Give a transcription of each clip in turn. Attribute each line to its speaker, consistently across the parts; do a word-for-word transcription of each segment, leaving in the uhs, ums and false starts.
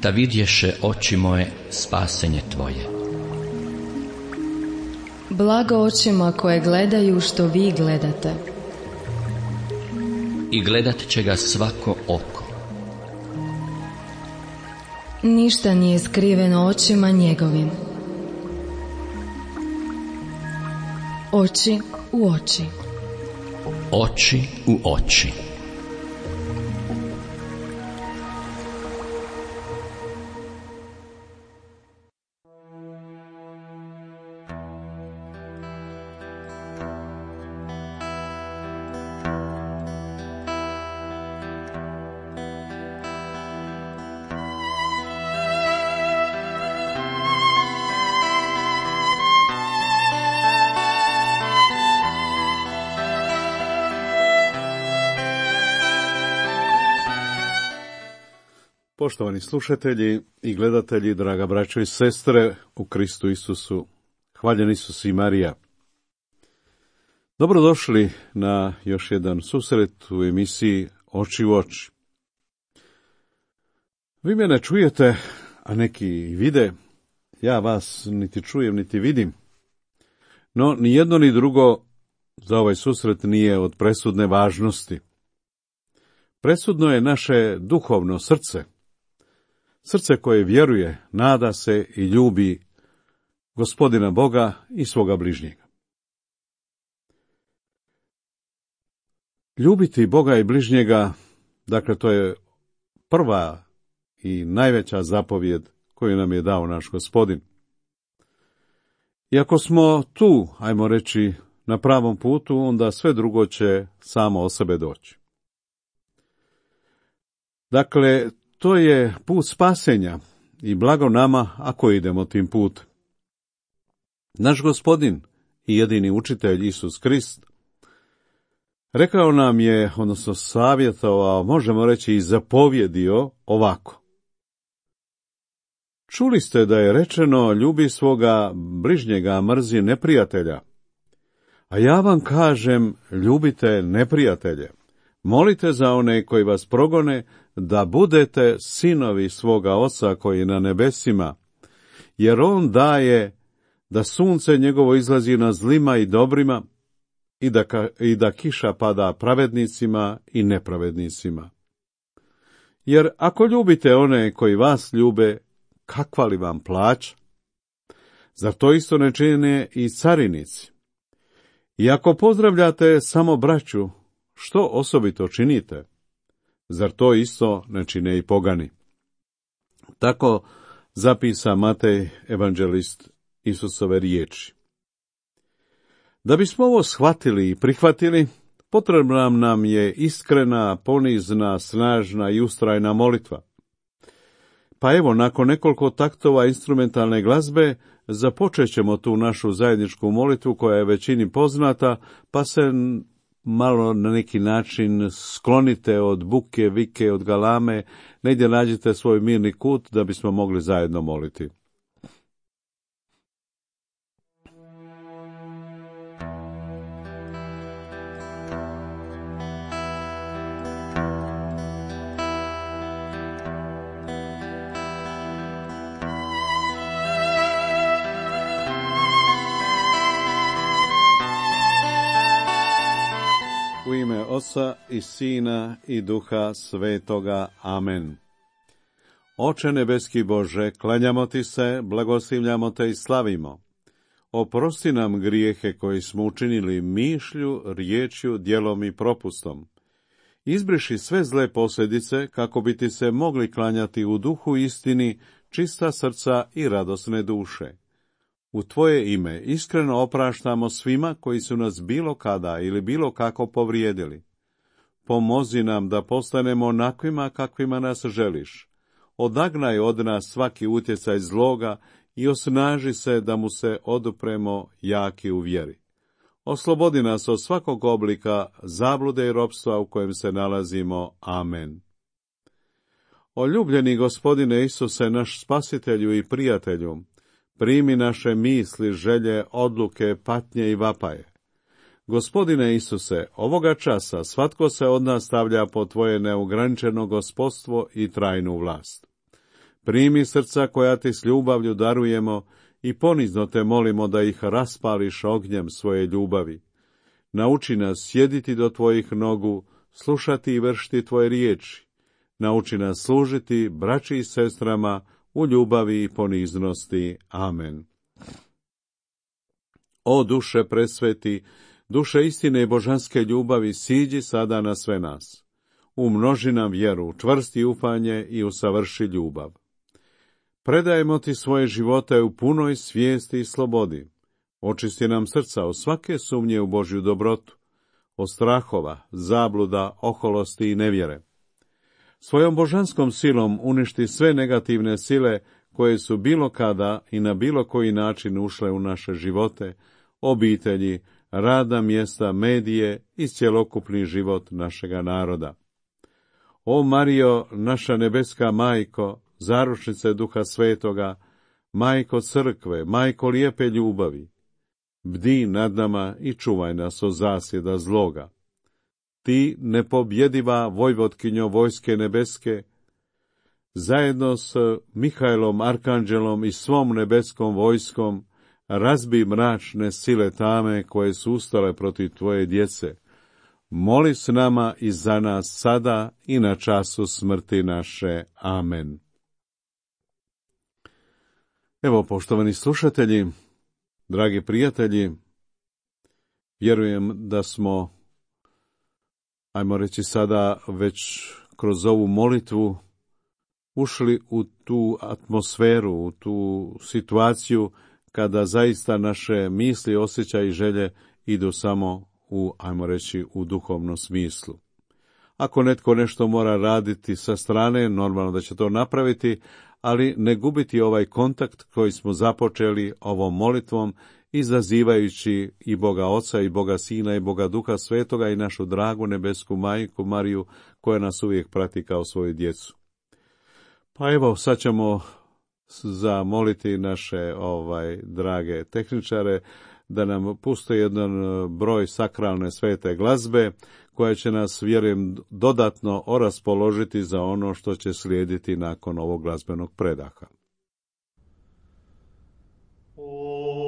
Speaker 1: da vidješe oči moje spasenje tvoje.
Speaker 2: Blago očima koje gledaju što vi gledate.
Speaker 1: I gledat će ga svako oko.
Speaker 2: Ništa nije skriveno očima njegovim. Oči u oči.
Speaker 1: Oči u oči.
Speaker 3: Poštovani slušatelji i gledatelji, draga braćo i sestre u Kristu Isusu, hvaljen Isus i Marija. Dobrodošli na još jedan susret u emisiji Oči u oči. Vi mene čujete, a neki i vide, ja vas niti čujem niti vidim. No, ni jedno ni drugo za ovaj susret nije od presudne važnosti. Presudno je naše duhovno srce. Srce koje vjeruje, nada se i ljubi Gospodina Boga i svoga bližnjega. Ljubiti Boga i bližnjega, dakle to je prva i najveća zapovjed koju nam je dao naš Gospodin. I ako smo tu, ajmo reći, na pravom putu, onda sve drugo će samo o sebe doći. Dakle, to je put spasenja i blago nama ako idemo tim putem. Naš Gospodin i jedini učitelj Isus Krist rekao nam je, odnosno savjetovao, možemo reći i zapovjedio ovako. Čuli ste da je rečeno ljubi svoga bližnjega, mrzi neprijatelja. A ja vam kažem, ljubite neprijatelje. Molite za one koji vas progone, da budete sinovi svoga Oca koji je na nebesima, jer on daje da sunce njegovo izlazi na zlima i dobrima i da, ka, i da kiša pada pravednicima i nepravednicima. Jer ako ljubite one koji vas ljube, kakva li vam plaća? Zar to isto ne čine i carinici? I ako pozdravljate samo braću, što osobito činite? Zar to isto ne čine i pogani? Tako zapisa Matej, evanđelist, Isusove riječi. Da bismo ovo shvatili i prihvatili, potrebna nam je iskrena, ponizna, snažna i ustrajna molitva. Pa evo, nakon nekoliko taktova instrumentalne glazbe, započet ćemo tu našu zajedničku molitvu koja je većini poznata, pa se malo na neki način sklonite od buke, vike, od galame, negdje nađite svoj mirni kut da bismo mogli zajedno moliti. U ime Oca i Sina i Duha Svetoga. Amen. Oče nebeski Bože, klanjamo ti se, blagoslivljamo te i slavimo. Oprosti nam grijehe koji smo učinili mišlju, riječju, djelom i propustom. Izbriši sve zle posljedice kako bi ti se mogli klanjati u duhu istini, čista srca i radosne duše. U tvoje ime iskreno opraštamo svima koji su nas bilo kada ili bilo kako povrijedili. Pomozi nam da postanemo onakvima kakvima nas želiš. Odagnaj od nas svaki utjecaj zloga i osnaži se da mu se odupremo jaki u vjeri. Oslobodi nas od svakog oblika zablude i ropstva u kojem se nalazimo. Amen. O ljubljeni Gospodine Isuse, naš spasitelju i prijatelju, primi naše misli, želje, odluke, patnje i vapaje. Gospodine Isuse, ovoga časa svatko se od nas stavlja pod tvoje neograničeno gospodstvo i trajnu vlast. Primi srca koja ti s ljubavlju darujemo i ponizno te molimo da ih raspališ ognjem svoje ljubavi. Nauči nas sjediti do tvojih nogu, slušati i vršiti tvoje riječi. Nauči nas služiti braći i sestrama u ljubavi i poniznosti. Amen. O duše presveti, duše istine i božanske ljubavi, siđi sada na sve nas. Umnoži nam vjeru, čvrsti ufanje i usavrši ljubav. Predajemo ti svoje živote u punoj svijesti i slobodi. Očisti nam srca od svake sumnje u Božju dobrotu, od strahova, zabluda, oholosti i nevjere. Svojom božanskom silom uništi sve negativne sile koje su bilo kada i na bilo koji način ušle u naše živote, obitelji, radna mjesta, medije i cjelokupni život našega naroda. O Marijo, naša nebeska majko, zaručnice Duha Svetoga, majko crkve, majko lijepe ljubavi, bdi nad nama i čuvaj nas od zasjeda zloga. Ti, nepobjediva vojvotkinjo vojske nebeske, zajedno s Mihajlom, arkanđelom i svom nebeskom vojskom, razbi mračne sile tame koje su ustale protiv tvoje djece. Moli s nama i za nas sada i na času smrti naše. Amen. Evo, poštovani slušatelji, dragi prijatelji, vjerujem da smo, ajmo reći sada, već kroz ovu molitvu ušli u tu atmosferu, u tu situaciju kada zaista naše misli, osjećaji i želje idu samo u, ajmo reći, u duhovnom smislu. Ako netko nešto mora raditi sa strane, normalno da će to napraviti, ali ne gubiti ovaj kontakt koji smo započeli ovom molitvom, izazivajući i Boga Oca, i Boga Sina, i Boga Duha Svetoga, i našu dragu nebesku majku Mariju, koja nas uvijek prati kao svoju djecu. Pa evo, sad ćemo zamoliti naše ovaj drage tehničare da nam puste jedan broj sakralne svete glazbe, koja će nas, vjerujem, dodatno oraspoložiti za ono što će slijediti nakon ovog glazbenog predaha.
Speaker 4: For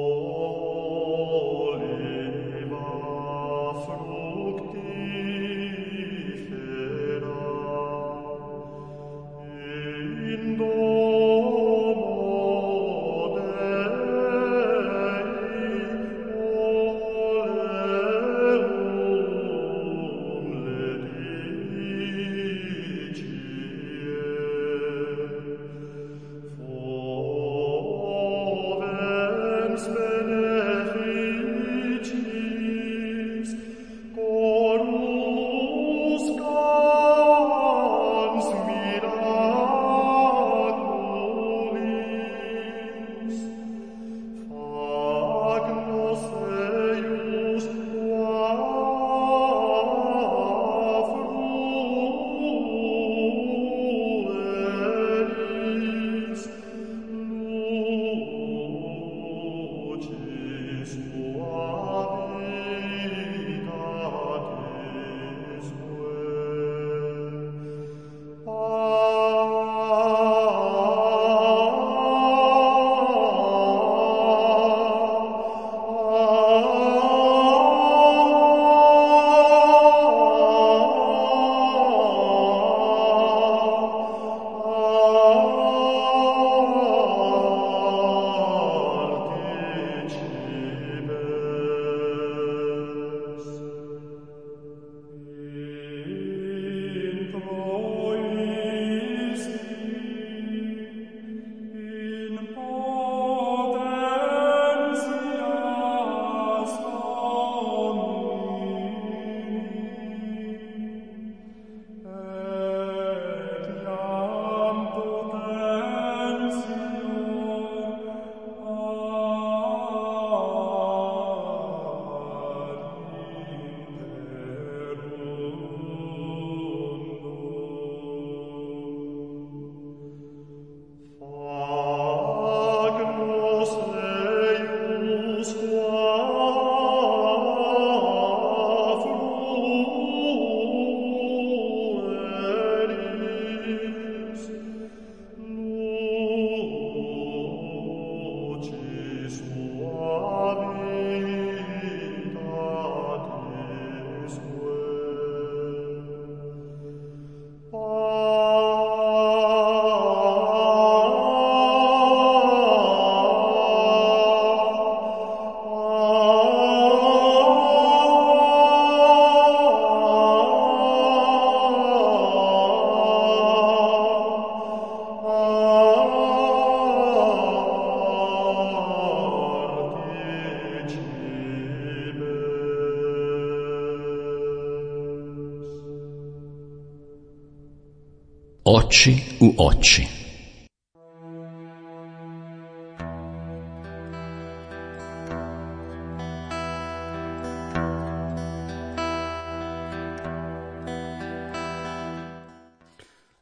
Speaker 1: Oči u oči.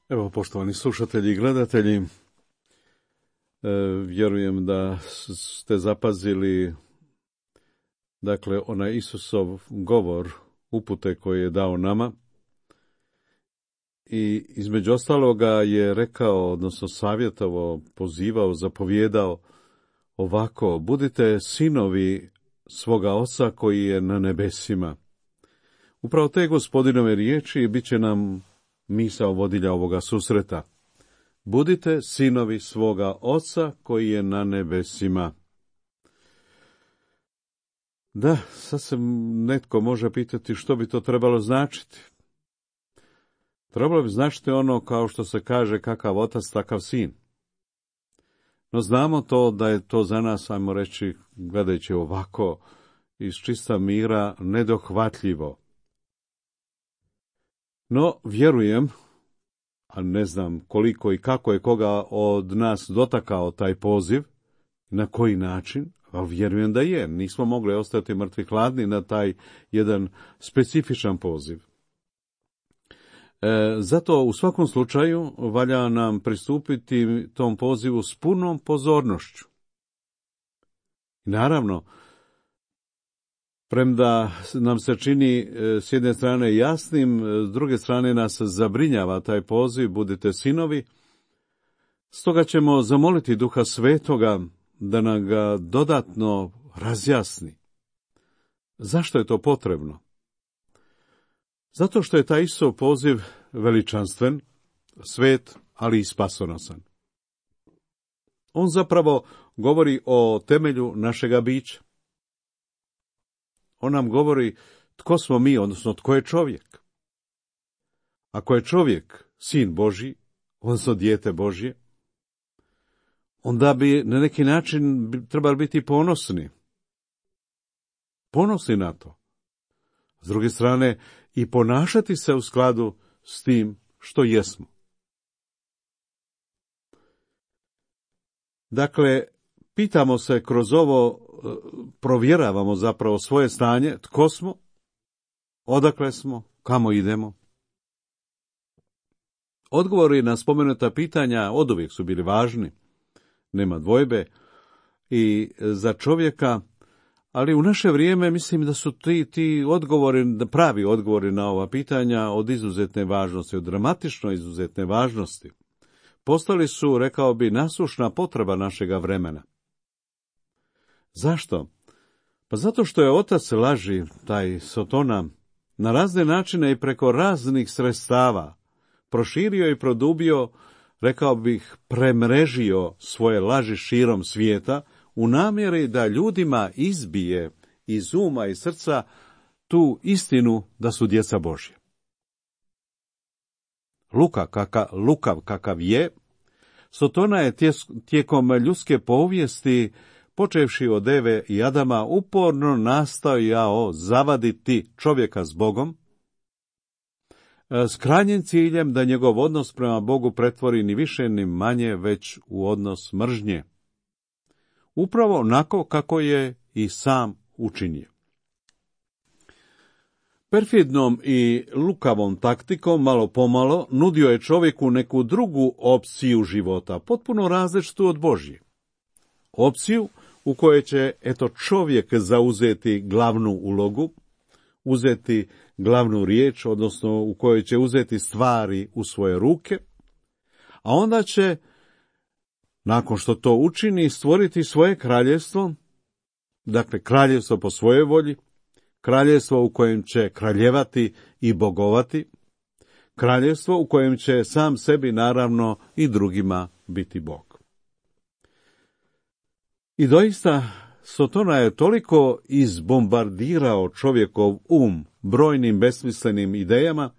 Speaker 3: Evo, poštovani slušatelji i gledatelji, e, vjerujem da ste zapazili, dakle, onaj Isusov govor, upute koje je dao nama, i između ostaloga je rekao, odnosno savjetovao, pozivao, zapovjedao ovako: budite sinovi svoga Oca koji je na nebesima. Upravo te Gospodinove riječi bit će nam misao vodilja ovoga susreta. Budite sinovi svoga Oca koji je na nebesima. Da, sad se netko može pitati što bi to trebalo značiti. Trebalo bi značiti ono kao što se kaže kakav otac, takav sin. No znamo to da je to za nas, ajmo reći, gledajući ovako, iz čista mira, nedohvatljivo. No, vjerujem, a ne znam koliko i kako je koga od nas dotakao taj poziv, na koji način, ali vjerujem da je. Nismo mogli ostati mrtvi hladni na taj jedan specifičan poziv. E, zato u svakom slučaju valja nam pristupiti tom pozivu s punom pozornošću. I naravno, premda nam se čini s jedne strane jasnim, s druge strane nas zabrinjava taj poziv, budite sinovi, stoga ćemo zamoliti Duha Svetoga da nam ga dodatno razjasni. Zašto je to potrebno? Zato što je taj Isusov poziv veličanstven, svet, ali i spasonosan. On zapravo govori o temelju našega bića. On nam govori tko smo mi, odnosno tko je čovjek. Ako je čovjek sin Božji, odnosno dijete Božje, onda bi na neki način trebali biti ponosni. Ponosni na to. S druge strane, i ponašati se u skladu s tim što jesmo. Dakle, pitamo se kroz ovo, provjeravamo zapravo svoje stanje, tko smo, odakle smo, kamo idemo. Odgovori na spomenuta pitanja oduvijek su bili važni, nema dvojbe, i za čovjeka, ali u naše vrijeme mislim da su ti, ti odgovori, pravi odgovori na ova pitanja od izuzetne važnosti, od dramatično izuzetne važnosti. Postali su, rekao bi, nasušna potreba našega vremena. Zašto? Pa zato što je otac laži, taj Sotona, na razne načine i preko raznih sredstava proširio i produbio, rekao bih, premrežio svoje laži širom svijeta, u namjeri da ljudima izbije iz uma i srca tu istinu da su djeca Božja. Luka, kaka, lukav kakav je, Sotona je tijekom ljudske povijesti, počevši od Eve i Adama, uporno nastojao zavaditi čovjeka s Bogom, s krajnjim ciljem da njegov odnos prema Bogu pretvori ni više ni manje već u odnos mržnje. Upravo onako kako je i sam učinio. Perfidnom i lukavom taktikom, malo pomalo, nudio je čovjeku neku drugu opciju života, potpuno različitu od Božje. Opciju u kojoj će, eto, čovjek zauzeti glavnu ulogu, uzeti glavnu riječ, odnosno u kojoj će uzeti stvari u svoje ruke, a onda će, nakon što to učini, stvoriti svoje kraljevstvo, dakle kraljevstvo po svojoj volji, kraljevstvo u kojem će kraljevati i bogovati, kraljevstvo u kojem će sam sebi, naravno, i drugima biti Bog. I doista, Sotona je toliko izbombardirao čovjekov um brojnim besmislenim idejama,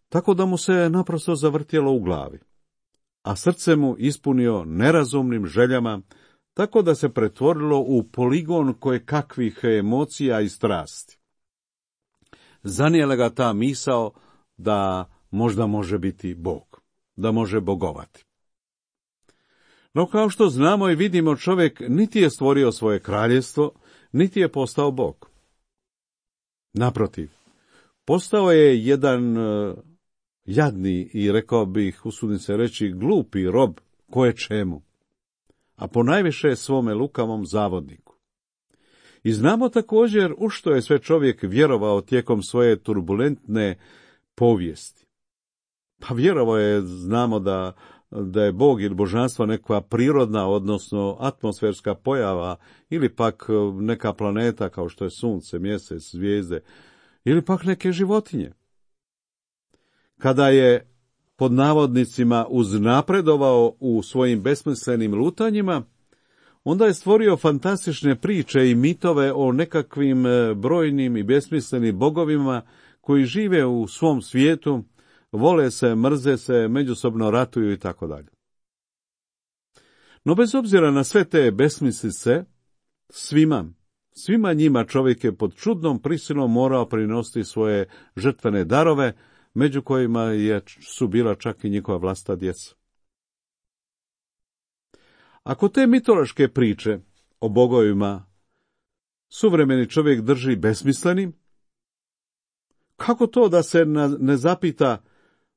Speaker 3: tako da mu se naprosto zavrtjelo u glavi, a srce mu ispunio nerazumnim željama, tako da se pretvorilo u poligon koje kakvih emocija i strasti. Zanijela ga ta misao da možda može biti Bog. da može bogovati. No kao što znamo i vidimo, čovjek niti je stvorio svoje kraljevstvo, niti je postao Bog. Naprotiv, postao je jedan uh, jadni i, rekao bih, usudim se reći, glupi rob koje čemu, a ponajviše svome lukavom zavodniku. I znamo također u što je sve čovjek vjerovao tijekom svoje turbulentne povijesti. Pa vjerovao je, znamo da, da je Bog ili božanstvo neka prirodna, odnosno atmosferska pojava, ili pak neka planeta kao što je sunce, mjesec, zvijezde, ili pak neke životinje. Kada je pod navodnicima uznapredovao u svojim besmislenim lutanjima, onda je stvorio fantastične priče i mitove o nekakvim brojnim i besmislenim bogovima koji žive u svom svijetu, vole se, mrze se, međusobno ratuju i tako dalje. No bez obzira na sve te besmislice, svima, svima njima čovjek je pod čudnom prisilom morao prinositi svoje žrtvene darove, među kojima je, su bila čak i njihova vlastita djeca. Ako te mitološke priče o bogovima suvremeni čovjek drži besmislenim, kako to da se ne zapita,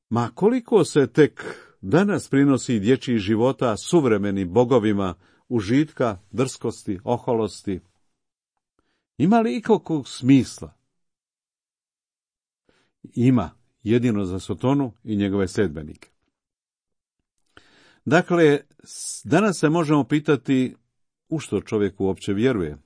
Speaker 3: ma koliko se tek danas prinosi dječjih života suvremenim bogovima užitka, drskosti, oholosti? Ima li ikakvog smisla? Ima, jedino za Sotonu i njegove sedbenike. Dakle, danas se možemo pitati u što čovjek uopće vjeruje.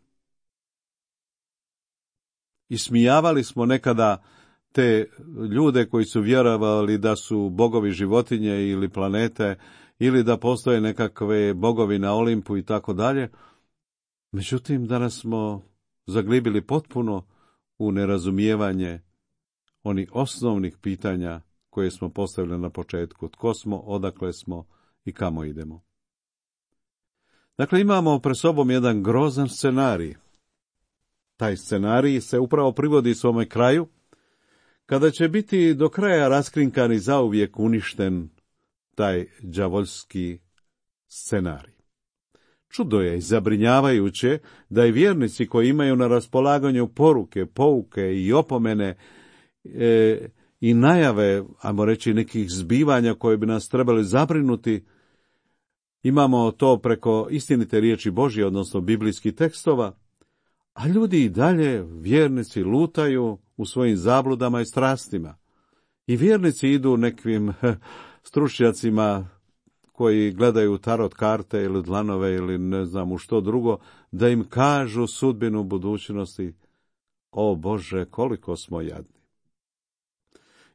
Speaker 3: Ismijavali smo nekada te ljude koji su vjerovali da su bogovi životinje ili planete, ili da postoje nekakve bogovi na Olimpu i tako dalje. Međutim, danas smo zaglibili potpuno u nerazumijevanje onih osnovnih pitanja koje smo postavili na početku. Tko smo, odakle smo i kamo idemo. Dakle, imamo pred sobom jedan grozan scenarij. Taj scenarij se upravo privodi svome kraju, kada će biti do kraja raskrinkan i zauvijek uništen taj đavoljski scenarij. Čudo je i zabrinjavajuće da i vjernici koji imaju na raspolaganju poruke, pouke i opomene e, i najave, ajmo reći, nekih zbivanja koje bi nas trebali zabrinuti, imamo to preko istinite riječi Božje, odnosno biblijskih tekstova, a ljudi i dalje, vjernici, lutaju u svojim zabludama i strastima. I vjernici idu nekim stručnjacima koji gledaju tarot karte ili dlanove ili ne znam u što drugo, da im kažu sudbinu budućnosti. O Bože, koliko smo jadni.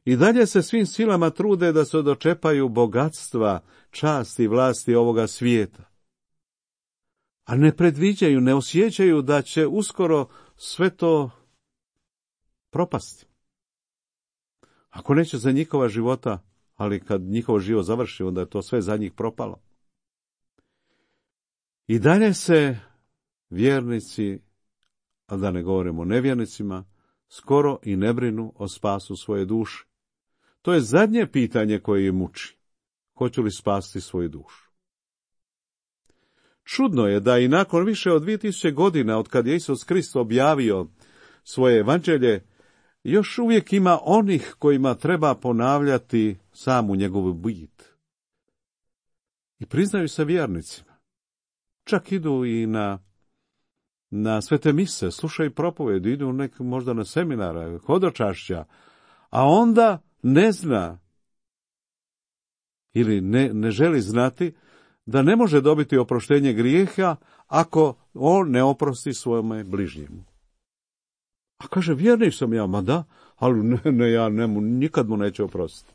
Speaker 3: I dalje se svim silama trude da se dočepaju bogatstva, časti i vlasti ovoga svijeta. A ne predviđaju, ne osjećaju da će uskoro sve to propasti. Ako neće za njihova života, ali kad njihov život završi, onda je to sve za njih propalo. I dalje se vjernici, a da ne govorimo o nevjernicima, skoro i ne brinu o spasu svoje duše. To je zadnje pitanje koje je muči. Hoću li spasiti svoju dušu? Čudno je da i nakon više od dvije tisuće godina od kad je Isus Krist objavio svoje evanđelje, još uvijek ima onih kojima treba ponavljati samu njegovu bit. I priznaju se vjernicima. Čak idu i na, na svete mise, slušaju propovjedi, idu nek, možda na seminare, hodočašća, a onda ne zna ili ne, ne želi znati da ne može dobiti oproštenje grijeha ako on ne oprosti svome bližnjemu. A kaže, vjernik sam ja, ma da, ali ne, ne ja ne, nikad mu neće oprostiti.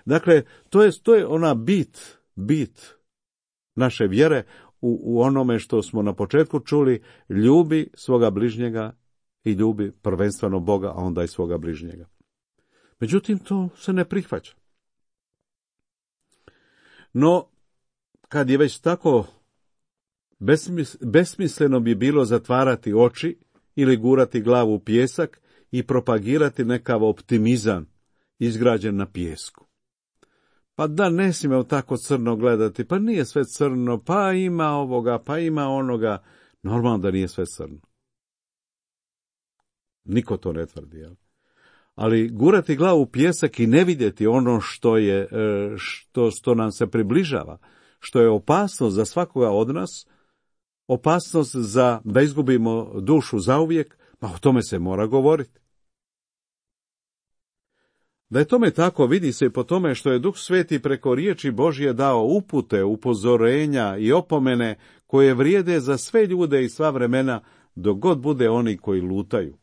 Speaker 3: Dakle, to je, to je ona bit, bit naše vjere u, u onome što smo na početku čuli, ljubi svoga bližnjega i ljubi prvenstveno Boga, a onda i svoga bližnjega. Međutim, to se ne prihvaća. No, kad je već tako, besmis, besmisleno bi bilo zatvarati oči ili gurati glavu u pijesak i propagirati nekav optimizam izgrađen na pijesku. Pa da, ne smijemo tako crno gledati, pa nije sve crno, pa ima ovoga, pa ima onoga. Normalno da nije sve crno. Niko to ne tvrdi, jel? Ali gurati glavu u pijesak i ne vidjeti ono što je, što, što nam se približava, što je opasnost za svakoga od nas, opasnost za da izgubimo dušu zauvijek, pa o tome se mora govoriti. Da je tome tako, vidi se i po tome što je Duh Sveti preko riječi Božje dao upute, upozorenja i opomene koje vrijede za sve ljude i sva vremena, dok god bude oni koji lutaju.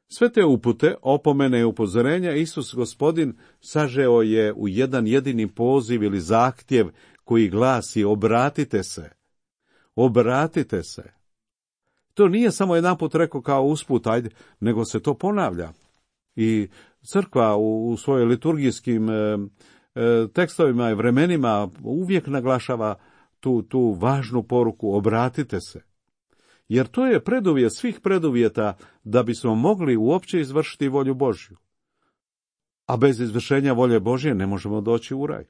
Speaker 3: Sve te upute, opomene i upozorenja Isus Gospodin sažeo je u jedan jedini poziv ili zahtjev koji glasi obratite se. Obratite se. To nije samo jedanput rekao kao usput, ajde, nego se to ponavlja. I crkva u, u svojim liturgijskim e, e, tekstovima i vremenima uvijek naglašava tu, tu važnu poruku, obratite se. Jer to je preduvjet svih preduvjeta da bismo mogli uopće izvršiti volju Božju. A bez izvršenja volje Božje ne možemo doći u raj.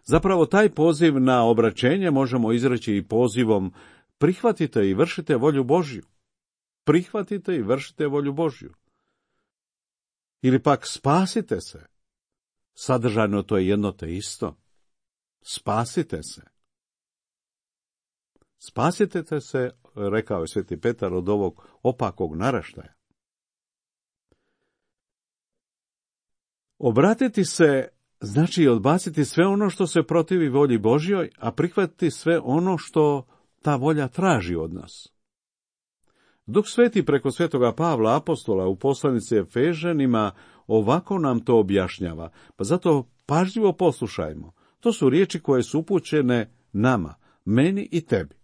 Speaker 3: Zapravo taj poziv na obraćenje možemo izreći i pozivom prihvatite i vršite volju Božju. Prihvatite i vršite volju Božju. Ili pak spasite se. Sadržajno to je jedno te isto. Spasite se. Spasite se, rekao je Sveti Petar, od ovog opakog naraštaja. Obratiti se znači odbaciti sve ono što se protivi volji Božjoj, a prihvatiti sve ono što ta volja traži od nas. Duh Sveti preko Svetoga Pavla apostola u poslanici Efežanima ovako nam to objašnjava, pa zato pažljivo poslušajmo. To su riječi koje su upućene nama, meni i tebi.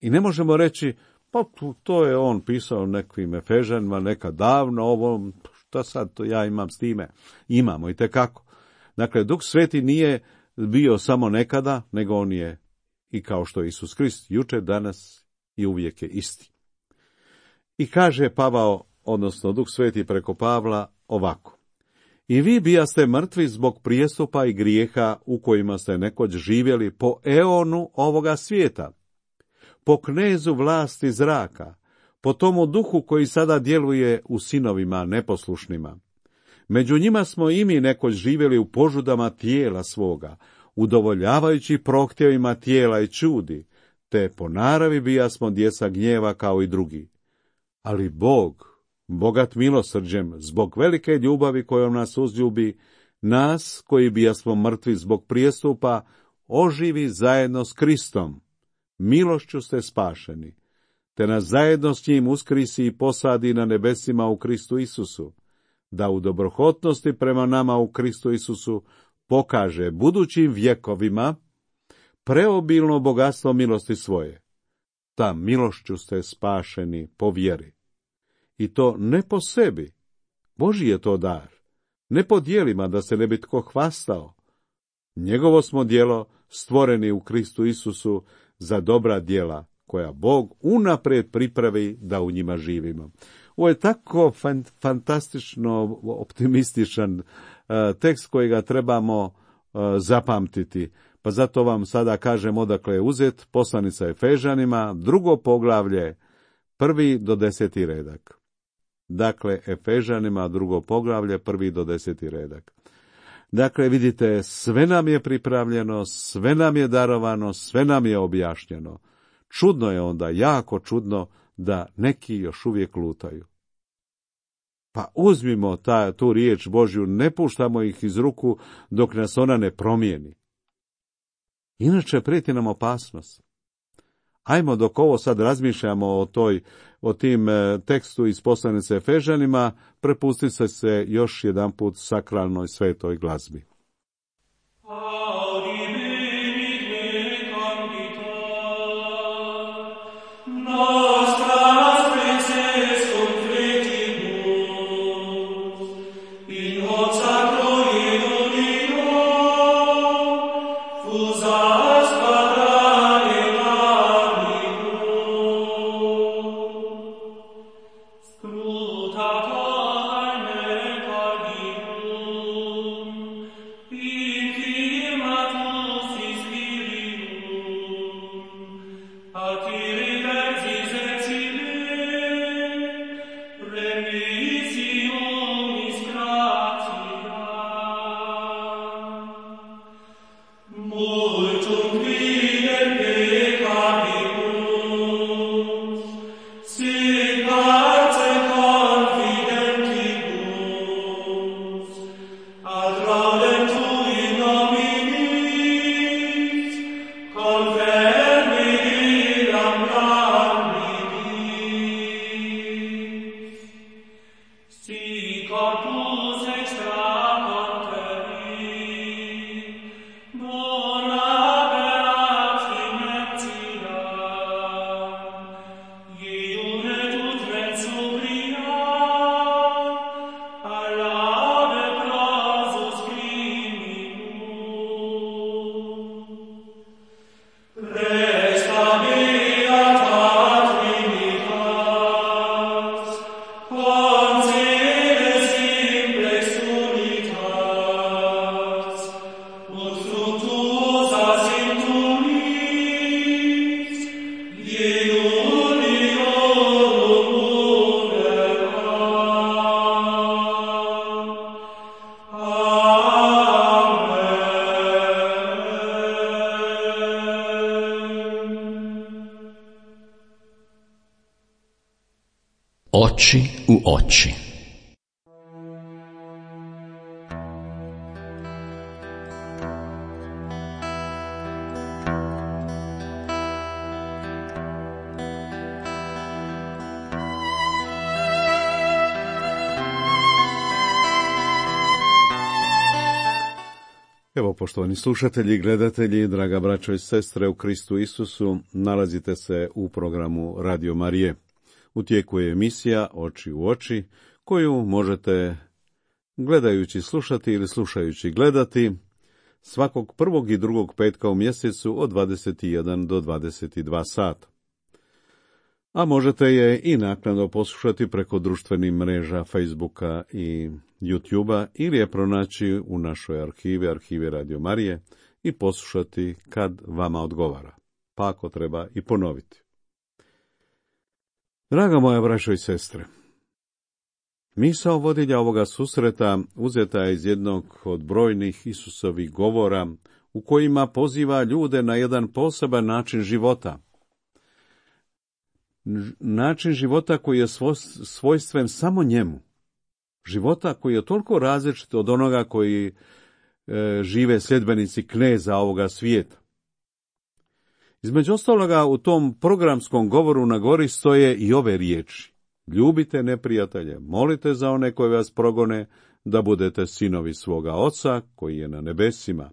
Speaker 3: I ne možemo reći, pa to je on pisao nekim Efežanima nekad davno, ovo, šta sad to ja imam s time? Imamo i tekako. Dakle, Duh Sveti nije bio samo nekada, nego on je i kao što je Isus Krist, jučer, danas i uvijek je isti. I kaže Pavao, odnosno Duh Sveti preko Pavla, ovako. I vi bijaste mrtvi zbog prijestupa i grijeha u kojima ste nekoć živjeli po eonu ovoga svijeta, po knezu vlasti zraka, po tomu duhu koji sada djeluje u sinovima neposlušnima. Među njima smo i mi nekoć živjeli u požudama tijela svoga, udovoljavajući prohtjevima tijela i čudi, te po naravi bijasmo djeca gnjeva kao i drugi. Ali Bog, bogat milosrđem, zbog velike ljubavi kojom nas uzljubi, nas koji bijasmo mrtvi zbog prijestupa, oživi zajedno s Kristom. Milošću ste spašeni, te nas zajedno s njim uskrisi i posadi na nebesima u Kristu Isusu, da u dobrohotnosti prema nama u Kristu Isusu pokaže budućim vjekovima preobilno bogatstvo milosti svoje. Ta milošću ste spašeni po vjeri. I to ne po sebi, Božji je to dar, ne po djelima da se ne bi tko hvastao. Njegovo smo djelo stvoreni u Kristu Isusu za dobra djela, koja Bog unaprijed pripravi da u njima živimo. Ovo je tako fantastično optimističan uh, tekst kojega trebamo uh, zapamtiti. Pa zato vam sada kažem odakle je uzet, poslanica Efežanima, drugo poglavlje, prvi do deseti redak. Dakle, Efežanima, drugo poglavlje, prvi do deseti redak. Dakle, vidite, sve nam je pripravljeno, sve nam je darovano, sve nam je objašnjeno. Čudno je onda, jako čudno, da neki još uvijek lutaju. Pa uzmimo ta, tu riječ Božju, ne puštamo ih iz ruku dok nas ona ne promijeni. Inače prijeti nam opasnost. Ajmo dok ovo sad razmišljamo o toj, o tim e, tekstu iz poslanice Efežanima, prepustite se još jedanput sakralnoj svetoj glazbi.
Speaker 4: Scruta carne cardium,
Speaker 1: Oči u oči.
Speaker 3: Evo, poštovani slušatelji i gledatelji, draga braćo i sestre u Kristu Isusu, nalazite se u programu Radio Marije. U tijeku je emisija Oči u oči, koju možete gledajući slušati ili slušajući gledati svakog prvog i drugog petka u mjesecu od dvadeset jedan do dvadeset dva sata. A možete je i naknadno poslušati preko društvenih mreža Facebooka i YouTubea ili je pronaći u našoj arhivi, arhivi Radio Marije i poslušati kad vama odgovara, pa ako treba i ponoviti. Draga moja braćo i sestre, misao vodilja ovoga susreta uzeta je iz jednog od brojnih Isusovih govora u kojima poziva ljude na jedan poseban način života. Način života koji je svojstven samo njemu. Života koji je toliko različit od onoga koji e, žive sljedbenici kneza ovoga svijeta. Između ostaloga u tom programskom govoru na gori stoje i ove riječi. Ljubite neprijatelje, molite za one koji vas progone, da budete sinovi svoga Oca koji je na nebesima.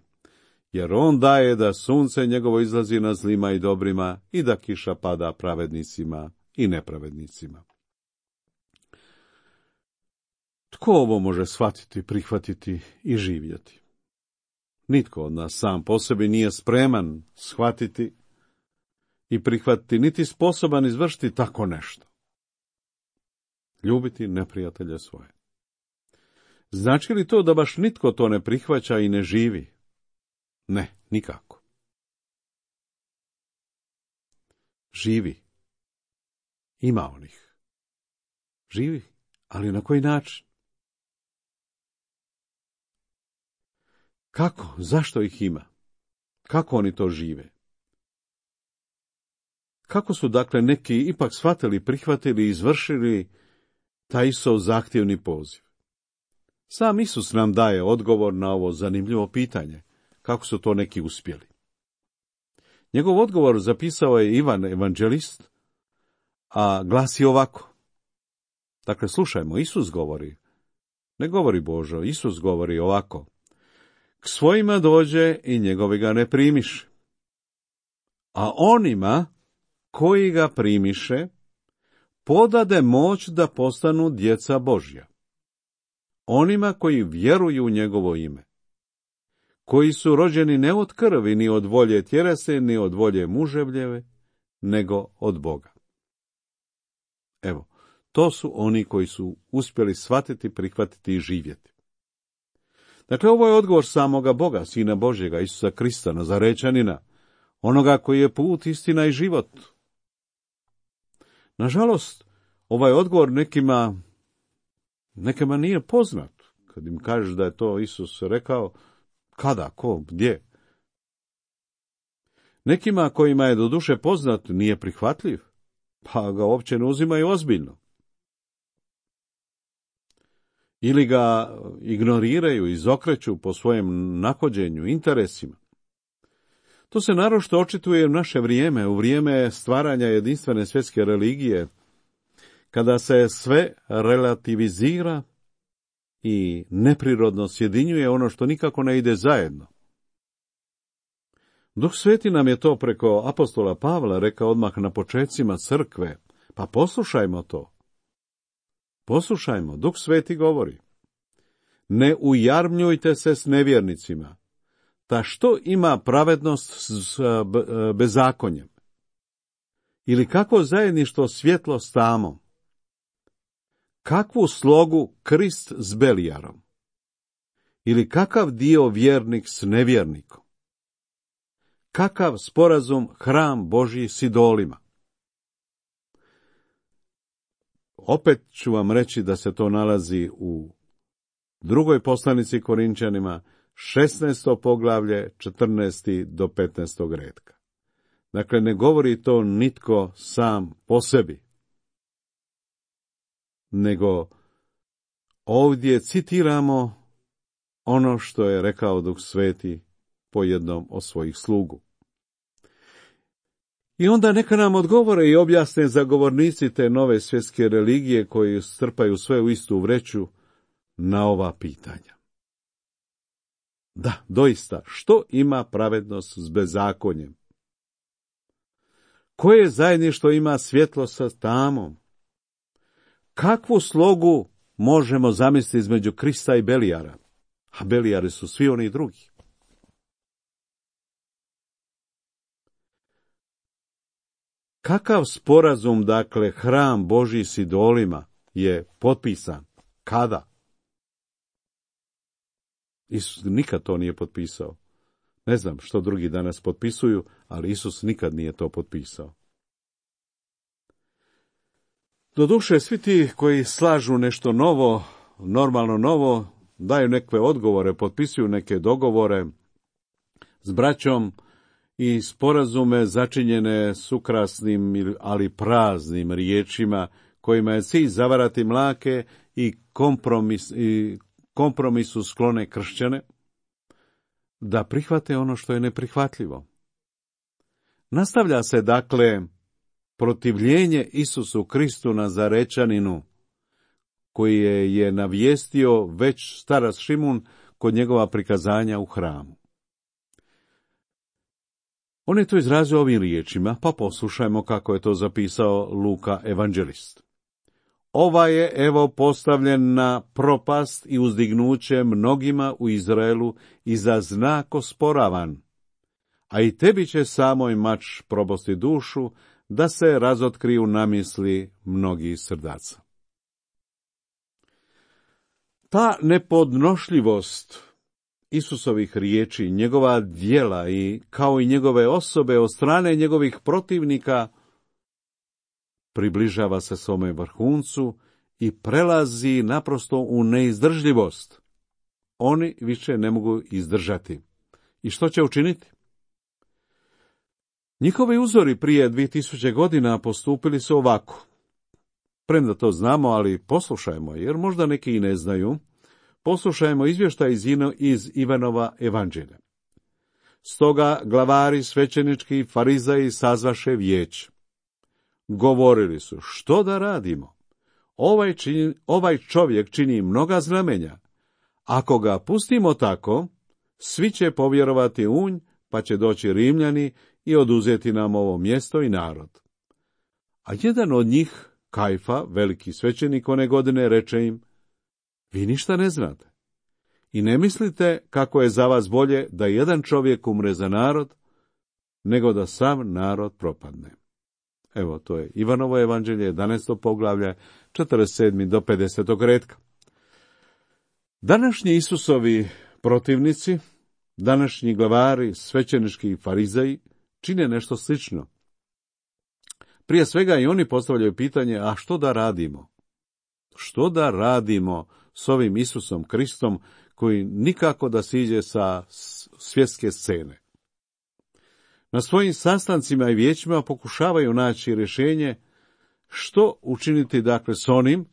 Speaker 3: Jer on daje da sunce njegovo izlazi na zlima i dobrima i da kiša pada pravednicima i nepravednicima. Tko ovo može shvatiti, prihvatiti i živjeti? Nitko od nas sam po sebi nije spreman shvatiti i prihvatiti, niti sposoban izvršiti tako nešto. Ljubiti neprijatelje svoje. Znači li to da baš nitko to ne prihvaća i ne živi? Ne, nikako. Živi. Ima onih. Živi, ali na koji način? Kako? Zašto ih ima? Kako oni to žive? Kako su dakle neki ipak shvatili, prihvatili i izvršili taj Isusov zahtjevni poziv? Sam Isus nam daje odgovor na ovo zanimljivo pitanje. Kako su to neki uspjeli? Njegov odgovor zapisao je Ivan evanđelist, a glasi ovako. Dakle, slušajmo, Isus govori. Ne govori Božo, Isus govori ovako. K svojima dođe i njegovi ga ne primiše. A onima koji ga primiše, podade moć da postanu djeca Božja. Onima koji vjeruju u njegovo ime. Koji su rođeni ne od krvi, ni od volje tjelesne, ni od volje muževljeve, nego od Boga. Evo, to su oni koji su uspjeli shvatiti, prihvatiti i živjeti. Dakle, ovo je odgovor samoga Boga, Sina Božjega, Isusa Krista, Nazarečanina, onoga koji je put, istina i život. Nažalost, ovaj odgovor nekima, nekima nije poznat. Kad im kažeš da je to Isus rekao, kada, ko, gdje? Nekima kojima je doduše poznat nije prihvatljiv, pa ga uopće ne uzimaju ozbiljno. Ili ga ignoriraju, izokreću po svojem nahođenju, interesima. To se naročito očituje u naše vrijeme, u vrijeme stvaranja jedinstvene svjetske religije, kada se sve relativizira i neprirodno sjedinjuje ono što nikako ne ide zajedno. Duh Sveti nam je to preko apostola Pavla rekao odmah na počecima crkve, pa poslušajmo to. Poslušajmo, Duh Sveti govori. Ne ujarmljujte se s nevjernicima, ta što ima pravednost s bezakonjem? Ili kako zajedništvo svjetlo s tamom? Kakvu slogu Krist s Belijarom? Ili kakav dio vjernik s nevjernikom? Kakav sporazum hram Božji s idolima? Opet ću vam reći da se to nalazi u drugoj poslanici Korinčanima, šesnaesto poglavlje, četrnaesti do petnaestog retka. Dakle, ne govori to nitko sam po sebi. nego ovdje citiramo ono što je rekao Duh Sveti po jednom od svojih slugu. I onda neka nam odgovore i objasne zagovornici te nove svjetske religije koji strpaju sve u istu vreću na ova pitanja. Da, doista, što ima pravednost s bezakonjem? Koje zajedništvo ima svjetlo sa tamom? Kakvu slogu možemo zamisliti između Krista i Belijara? A Belijari su svi oni drugi. Kakav sporazum, dakle, hram Božji s idolima je potpisan? Kada? Isus nikad to nije potpisao. Ne znam što drugi danas potpisuju, ali Isus nikad nije to potpisao. Doduše, svi ti koji slažu nešto novo, normalno novo, daju neke odgovore, potpisuju neke dogovore s braćom i sporazume začinjene s ukrasnim, ali praznim riječima, kojima je cilj zavarati mlake i, kompromis, i kompromisu sklone kršćane, da prihvate ono što je neprihvatljivo. Nastavlja se, dakle, protivljenje Isusu Kristu Nazarečaninu, koji je, je navijestio već starac Šimun kod njegova prikazanja u hramu. On je to izrazio ovim riječima, pa poslušajmo kako je to zapisao Luka evanđelist. Ova je, evo, postavljen na propast i uzdignuće mnogima u Izraelu i za znak osporavan, a i tebi će samoj mač probosti dušu, da se razotkriju namisli mnogih srdaca. Ta nepodnošljivost Isusovih riječi, njegova djela i kao i njegove osobe od strane njegovih protivnika približava se svome vrhuncu i prelazi naprosto u neizdržljivost. Oni više ne mogu izdržati. I što će učiniti? Njihovi uzori prije dvije tisuće godina postupili su ovako. Premda to znamo, ali poslušajmo, jer možda neki i ne znaju. Poslušajmo izvještaj iz, iz Ivanova evanđelja. Stoga glavari svećenički i farizaji sazvaše vijeće. Govorili su, što da radimo? Ovaj, čini, ovaj čovjek čini mnoga znamenja. Ako ga pustimo tako, svi će povjerovati u nj, pa će doći Rimljani i oduzeti nam ovo mjesto i narod. A jedan od njih, Kajfa, veliki svećenik one godine, reče im, vi ništa ne znate i ne mislite kako je za vas bolje da jedan čovjek umre za narod, nego da sav narod propadne. Evo, to je Ivanovo evanđelje, jedanaesto poglavlje, četrdeset sedmi do pedesetog retka. Današnji Isusovi protivnici, današnji glavari, svećenički i farizeji, čine nešto slično. Prije svega i oni postavljaju pitanje, a što da radimo? Što da radimo s ovim Isusom Kristom, koji nikako da siđe sa svjetske scene? Na svojim sastancima i vijećima pokušavaju naći rješenje što učiniti, dakle, s onim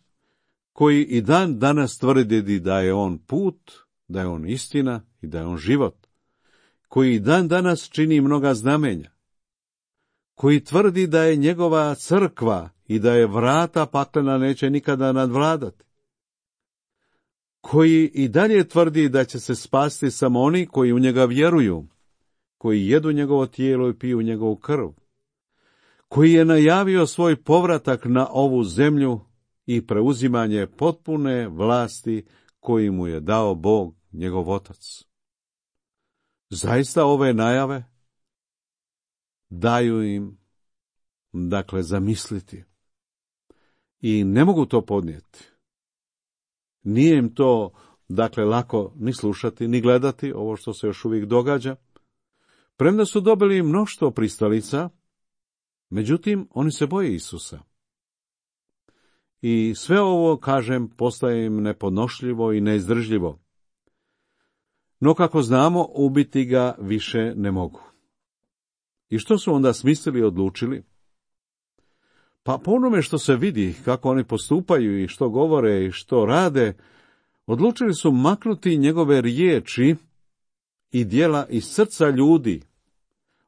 Speaker 3: koji i dan danas tvrdi da je on put, da je on istina i da je on život, koji i dan danas čini mnoga znamenja, koji tvrdi da je njegova crkva i da je vrata paklena neće nikada nadvladati, koji i dalje tvrdi da će se spasti samo oni koji u njega vjeruju, koji jedu njegovo tijelo i piju njegovu krv, koji je najavio svoj povratak na ovu zemlju i preuzimanje potpune vlasti koji mu je dao Bog, njegov Otac. Zaista ove najave daju im, dakle, zamisliti i ne mogu to podnijeti. Nije im to, dakle, lako ni slušati, ni gledati ovo što se još uvijek događa. Premda su dobili mnoštvo pristalica, međutim, oni se boje Isusa. I sve ovo, kažem, postaje im nepodnošljivo i neizdržljivo. No, kako znamo, ubiti ga više ne mogu. I što su onda smislili i odlučili? Pa po onome što se vidi, kako oni postupaju i što govore i što rade, odlučili su maknuti njegove riječi i djela iz srca ljudi,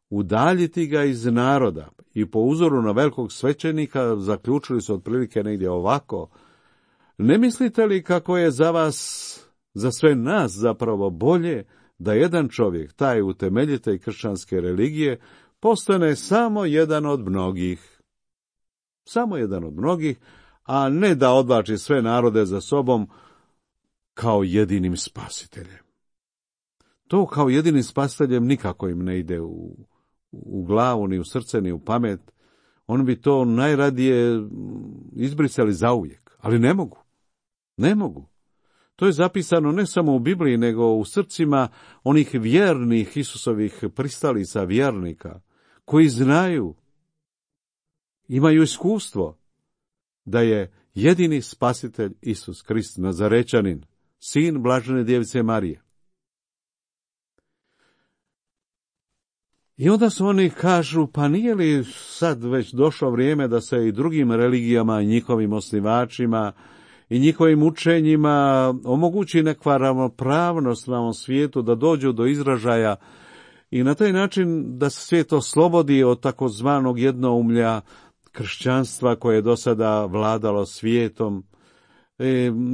Speaker 3: udaljiti ga iz naroda i po uzoru na velikog svećenika zaključili su otprilike negdje ovako: ne mislite li kako je za vas, za sve nas zapravo bolje da jedan čovjek, taj utemeljitelj kršćanske religije, postane samo jedan od mnogih, samo jedan od mnogih, a ne da odvlači sve narode za sobom kao jedinim spasiteljem. To kao jedinim spasiteljem nikako im ne ide u, u glavu, ni u srce, ni u pamet. Oni bi to najradije izbrisali zauvijek, ali ne mogu. Ne mogu. To je zapisano ne samo u Bibliji, nego u srcima onih vjernih Isusovih pristalica, vjernika, koji znaju, imaju iskustvo da je jedini spasitelj Isus Krist, Nazarečanin, sin blažene djevice Marije. I onda su oni kažu, pa nije li sad već došlo vrijeme da se i drugim religijama i njihovim osnivačima i njihovim učenjima omogući nekva ravnopravnost na ovom svijetu, da dođu do izražaja i na taj način da se svijet oslobodi od takozvanog jednoumlja kršćanstva koje je do sada vladalo svijetom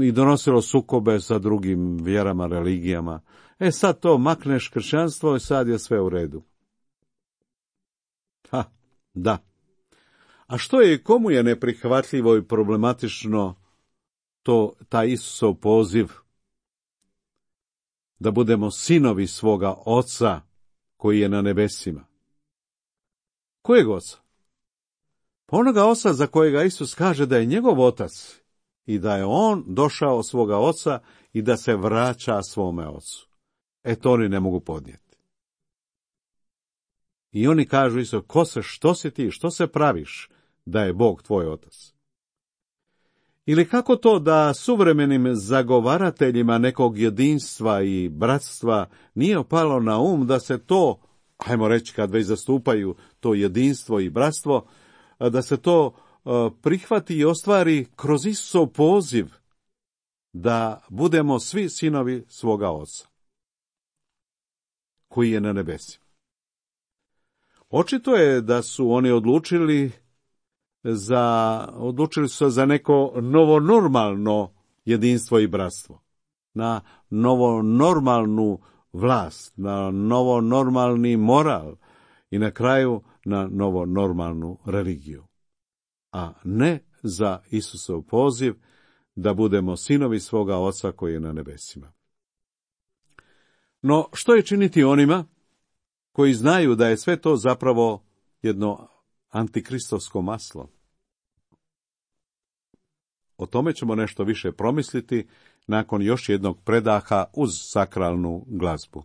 Speaker 3: i donosilo sukobe sa drugim vjerama, religijama. E sad to makneš kršćanstvo i sad je sve u redu. Ha, da. A što je i komu je neprihvatljivo i problematično to, taj Isusov poziv da budemo sinovi svoga Oca koji je na nebesima? Kojeg Oca? Pa onoga Oca za kojega Isus kaže da je njegov Otac i da je on došao od svoga Oca i da se vraća svome Ocu. E to oni ne mogu podnijeti. I oni kažu isto, ko se, što si ti, što se praviš da je Bog tvoj Otac? Ili kako to da suvremenim zagovarateljima nekog jedinstva i bratstva nije opalo na um da se to, hajmo reći kad već zastupaju to jedinstvo i bratstvo, da se to prihvati i ostvari kroz Isusov poziv da budemo svi sinovi svoga Oca koji je na nebesima. Očito je da su oni odlučili za, odlučili su se za neko novonormalno jedinstvo i bratstvo, na novonormalnu vlast, na novonormalni moral i na kraju na novonormalnu religiju, a ne za Isusov poziv da budemo sinovi svoga Oca koji je na nebesima. No, što je činiti onima koji znaju da je sve to zapravo jedno antikristovsko maslo? O tome ćemo nešto više promisliti nakon još jednog predaha uz sakralnu glazbu.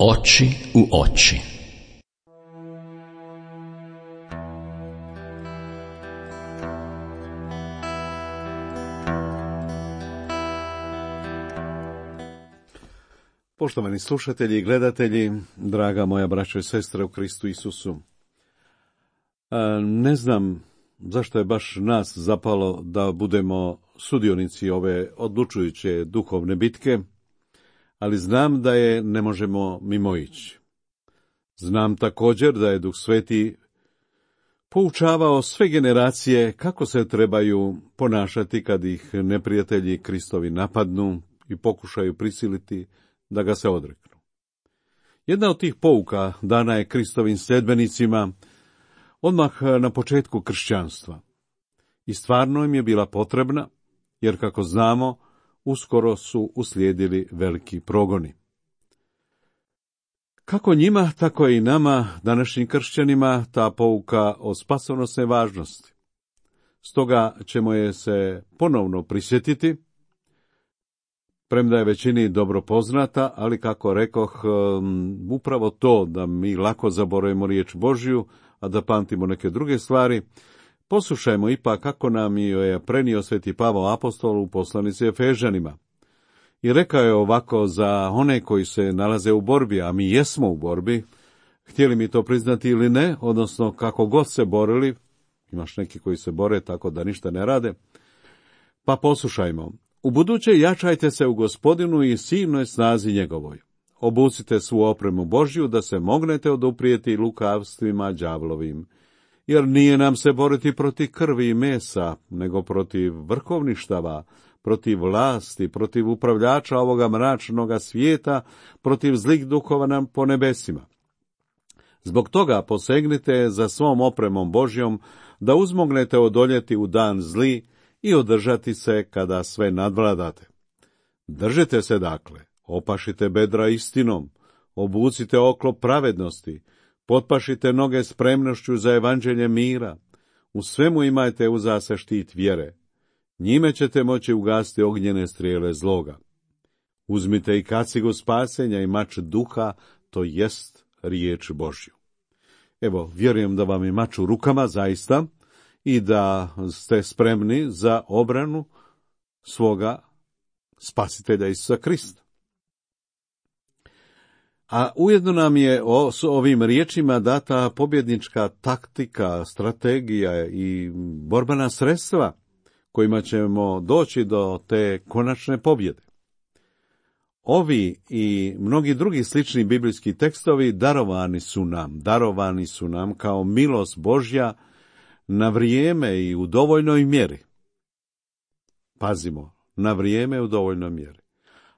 Speaker 1: Oči u oči.
Speaker 3: Poštovani slušatelji i gledatelji, draga moja braćo i sestre u Kristu Isusu, ne znam zašto je baš nas zapalo da budemo sudionici ove odlučujuće duhovne bitke, ali znam da je ne možemo mimoići. Znam također da je Duh Sveti poučavao sve generacije kako se trebaju ponašati kad ih neprijatelji Kristovi napadnu i pokušaju prisiliti da ga se odreknu. Jedna od tih pouka dana je Kristovim sljedbenicima odmah na početku kršćanstva. I stvarno im je bila potrebna, jer kako znamo, uskoro su uslijedili veliki progoni. Kako njima, tako i nama, današnjim kršćanima, ta pouka o spasonosne važnosti. Stoga ćemo je se ponovno prisjetiti, premda je većini dobro poznata, ali kako rekoh, upravo to da mi lako zaboravimo riječ Božju, a da pamtimo neke druge stvari, poslušajmo ipak kako nam je prenio sveti Pavao apostol u poslanici Efežanima. I rekao je ovako za one koji se nalaze u borbi, a mi jesmo u borbi, htjeli mi to priznati ili ne, odnosno kako god se borili, imaš neki koji se bore tako da ništa ne rade, pa poslušajmo. U buduće jačajte se u Gospodinu i silnoj snazi njegovoj. Obucite svu opremu Božju da se mognete oduprijeti lukavstvima đavlovim. Jer nije nam se boriti protiv krvi i mesa, nego protiv vrhovništava, protiv vlasti, protiv upravljača ovoga mračnoga svijeta, protiv zlih duhova nam po nebesima. Zbog toga posegnite za svom opremom Božjom, da uzmognete odoljeti u dan zli i održati se kada sve nadvladate. Držite se dakle, opašite bedra istinom, obucite oklop pravednosti, potpašite noge spremnošću za evanđelje mira, u svemu imajte uza se štit vjere, njime ćete moći ugasiti ognjene strijele zloga. Uzmite i kacigu spasenja i mač duha, to jest riječ Božju. Evo, vjerujem da vam je mač u rukama zaista i da ste spremni za obranu svoga spasitelja Isusa Krista. A ujedno nam je o, s ovim riječima data pobjednička taktika, strategija i borbena sredstva kojima ćemo doći do te konačne pobjede. Ovi i mnogi drugi slični biblijski tekstovi darovani su nam, darovani su nam kao milost Božja na vrijeme i u dovoljnoj mjeri. Pazimo, na vrijeme u dovoljnoj mjeri.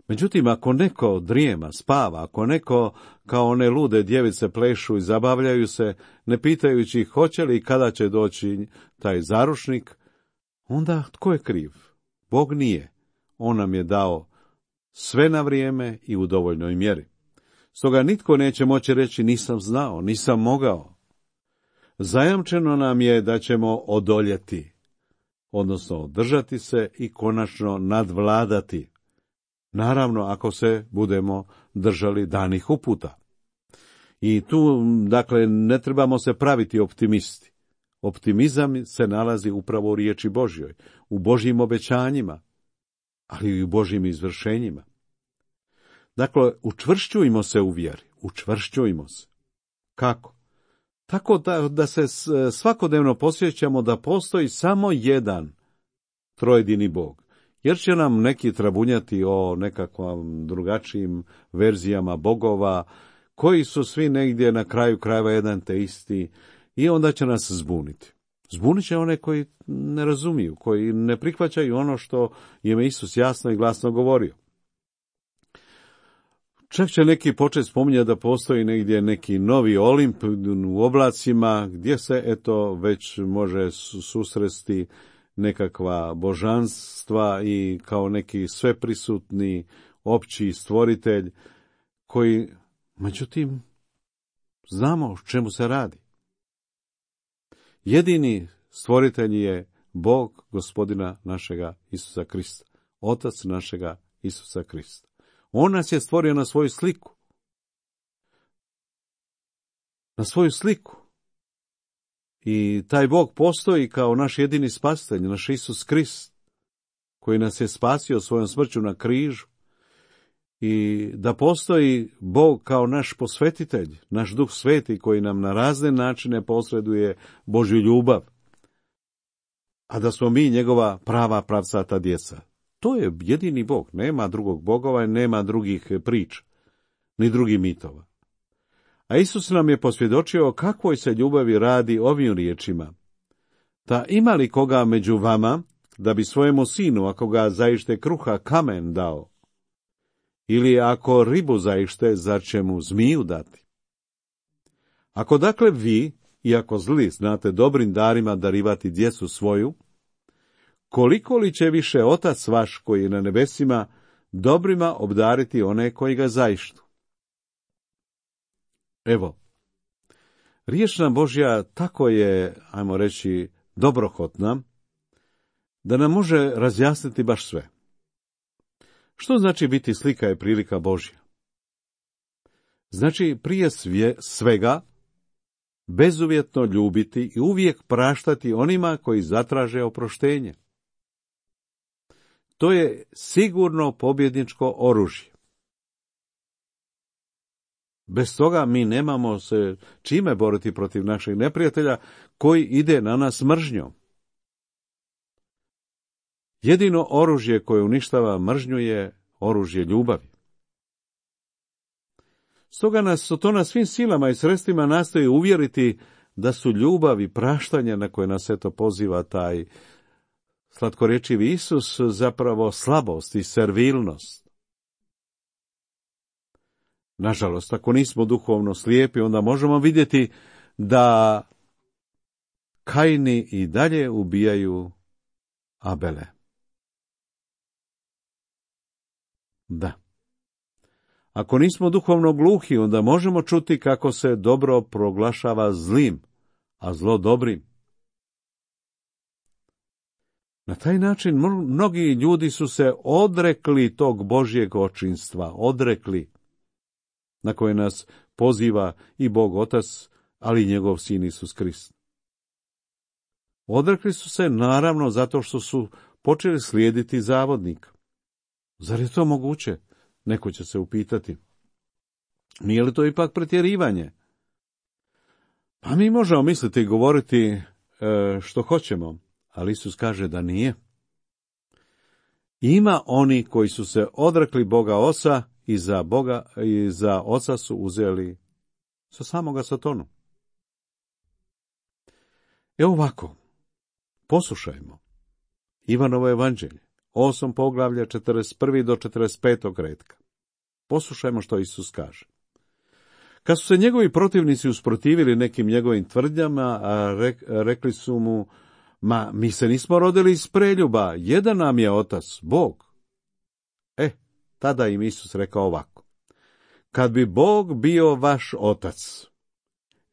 Speaker 3: Međutim, ako neko drijema, spava, ako neko kao one lude djevice plešu i zabavljaju se, ne pitajući hoće li i kada će doći taj zaručnik, onda tko je kriv? Bog nije. On nam je dao sve na vrijeme i u dovoljnoj mjeri. Stoga nitko neće moći reći nisam znao, nisam mogao. Zajamčeno nam je da ćemo odoljeti, odnosno održati se i konačno nadvladati. Naravno, ako se budemo držali danih uputa. I tu, dakle, ne trebamo se praviti optimisti. Optimizam se nalazi upravo u riječi Božjoj, u Božjim obećanjima, ali i u Božjim izvršenjima. Dakle, učvršćujmo se u vjeri, učvršćujmo se. Kako? Tako da, da se svakodnevno posjećamo da postoji samo jedan trojedini Bog. Jer će nam neki trabunjati o nekakvom drugačijim verzijama bogova, koji su svi negdje na kraju krajeva jedan te isti, i onda će nas zbuniti. Zbunit će one koji ne razumiju, koji ne prihvaćaju ono što je Isus jasno i glasno govorio. Čak će neki početi spominjati da postoji negdje neki novi Olimp u oblacima, gdje se eto već može susresti nekakva božanstva i kao neki sveprisutni opći stvoritelj koji, međutim, znamo o čemu se radi. Jedini stvoritelj je Bog Gospodina našega Isusa Krista, Otac našega Isusa Krista. On nas je stvorio na svoju sliku. na svoju sliku. I taj Bog postoji kao naš jedini spasitelj, naš Isus Krist, koji nas je spasio svojom smrću na križu. I da postoji Bog kao naš posvetitelj, naš Duh Sveti koji nam na razne načine posreduje Božju ljubav. A da smo mi njegova prava pravcata djeca. To je jedini Bog, nema drugog bogova i nema drugih priča, ni drugih mitova. A Isus nam je posvjedočio o kakvoj se ljubavi radi ovim riječima. Ta ima li koga među vama, da bi svojemu sinu, ako ga zaište kruha, kamen dao? Ili ako ribu zaište, zar će mu zmiju dati? Ako dakle vi, iako zli, znate dobrim darima darivati djecu svoju, koliko li će više Otac vaš koji je na nebesima dobrima obdariti one koji ga zaištu? Evo, riječ nam Božja tako je, ajmo reći, dobrohotna, da nam može razjasniti baš sve. Što znači biti slika i prilika Božja? Znači prije svje, svega bezuvjetno ljubiti i uvijek praštati onima koji zatraže oproštenje. To je sigurno pobjedničko oružje. Bez toga mi nemamo se čime boriti protiv našeg neprijatelja koji ide na nas mržnjom. Jedino oružje koje uništava mržnju je oružje ljubavi. Stoga nas to na svim silama i sredstvima nastoji uvjeriti da su ljubav i praštanje na koje nas eto poziva taj slatkorječivi Isus zapravo slabost i servilnost. Nažalost, ako nismo duhovno slijepi, onda možemo vidjeti da Kaini i dalje ubijaju Abele. Da. Ako nismo duhovno gluhi, onda možemo čuti kako se dobro proglašava zlim, a zlo dobrim. Na taj način mnogi ljudi su se odrekli tog Božjeg očinstva, odrekli, na koje nas poziva i Bog Otac, ali i njegov sin Isus Krist. Odrekli su se naravno zato što su počeli slijediti zavodnika. Zar je to moguće? Neko će se upitati. Nije li to ipak pretjerivanje? Pa mi možemo misliti i govoriti e, što hoćemo, ali Isus kaže da nije. Ima oni koji su se odrekli Boga Oca i za Boga i za Oca su uzeli sa samoga Satonu. Evo ovako, poslušajmo Ivanovo evanđelje, osam poglavlje, četrdeset prvi do četrdeset petog retka. Poslušajmo što Isus kaže. Kad su se njegovi protivnici usprotivili nekim njegovim tvrdnjama, a rek, rekli su mu, ma mi se nismo rodili iz preljuba, jedan nam je Otac, Bog. E, tada im Isus rekao ovako. Kad bi Bog bio vaš Otac,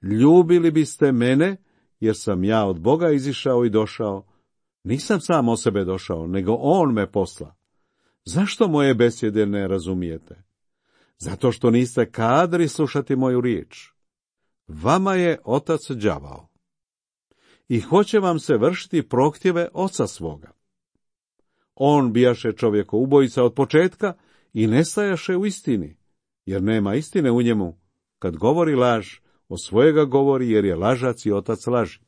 Speaker 3: ljubili biste mene, jer sam ja od Boga izišao i došao. Nisam sam o sebe došao, nego On me posla. Zašto moje besjede ne razumijete? Zato što niste kadri slušati moju riječ. Vama je otac đavao i hoće vam se vršiti prohtjeve oca svoga. On bijaše čovjeko ubojica od početka i nestajaše u istini, jer nema istine u njemu. Kad govori laž, o svojega govori, jer je lažac i otac laži.